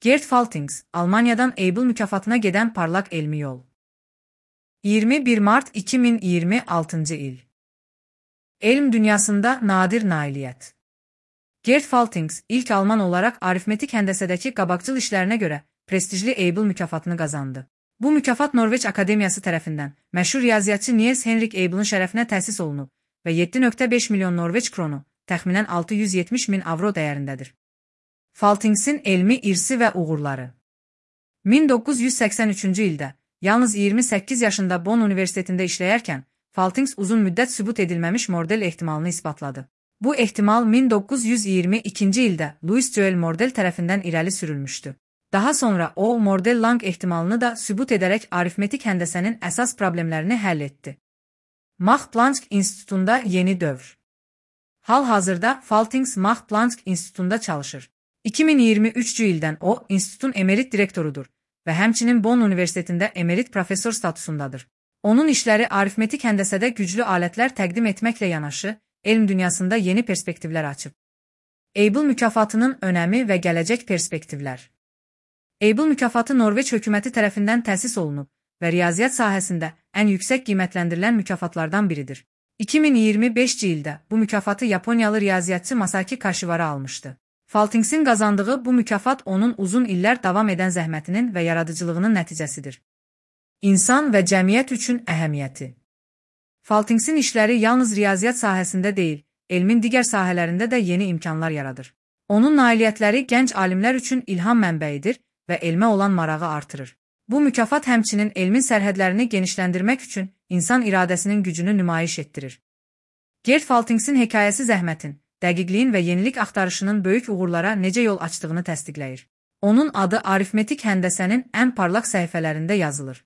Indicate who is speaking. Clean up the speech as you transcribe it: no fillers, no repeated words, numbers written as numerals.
Speaker 1: Gerd Faltings, Almanya'dan Abel mükafatına giden parlak elmi yol. 21 Mart 2026 il. Elm dünyasında nadir nailiyet. Gerd Faltings, ilk Alman olarak aritmetik hendesedeki qabaqcıl işlerine göre prestijli Abel mükafatını kazandı. Bu mükafat Norveç Akademiyası tərəfindən məşhur riyaziyyatçı Niels Henrik Abel'ın şərəfinə təsis olunub və 7,5 milyon Norveç kronu, təxminən 670 min avro dəyərindədir. Faltings'in elmi irsi və uğurları. 1983-cü ildə, yalnız 28 yaşında Bonn Universitetində işləyərkən, Faltings uzun müddət sübut edilməmiş Mordel ehtimalını isbatladı. Bu ehtimal 1922-ci ildə Louis Joel Mordel tərəfindən irəli sürülmüşdü. Daha sonra o, Mordel-Lang ehtimalını da sübut edərək aritmetik həndəsənin əsas problemlərini həll etdi. Max-Planck İnstitutunda yeni dövr. Hal-hazırda Faltings Max-Planck İnstitutunda çalışır. 2023-cü ildən o, institutun emerit direktorudur və həmçinin Bonn Universitetində emerit professor statusundadır. Onun işləri aritmetik həndəsədə güclü alətlər təqdim etməklə yanaşı, elm dünyasında yeni perspektivlər açıb. Abel mükafatının önəmi və gələcək perspektivlər. Abel mükafatı Norveç hökuməti tərəfindən təsis olunub və riyaziyyat sahəsində ən yüksək qiymətləndirilən mükafatlardan biridir. 2025-ci ildə bu mükafatı Yaponiyalı riyaziyyatçı Masaki Kashiwara almışdı. Faltings'in qazandığı bu mükafat onun uzun illər davam edən zəhmətinin və yaradıcılığının nəticəsidir. İnsan və cəmiyyət üçün əhəmiyyəti. Faltings'in işləri yalnız riyaziyyat sahəsində deyil, elmin digər sahələrində də yeni imkanlar yaradır. Onun nailiyyətləri gənc alimlər üçün ilham mənbəyidir və elmə olan marağı artırır. Bu mükafat həmçinin elmin sərhədlərini genişləndirmək üçün insan iradəsinin gücünü nümayiş etdirir. Gerd Faltings'in hekayəsi zəhmətin, dəqiqliyin və yenilik axtarışının böyük uğurlara necə yol açdığını təsdiqləyir. Onun adı aritmetik həndəsənin ən parlaq səhifələrində yazılır.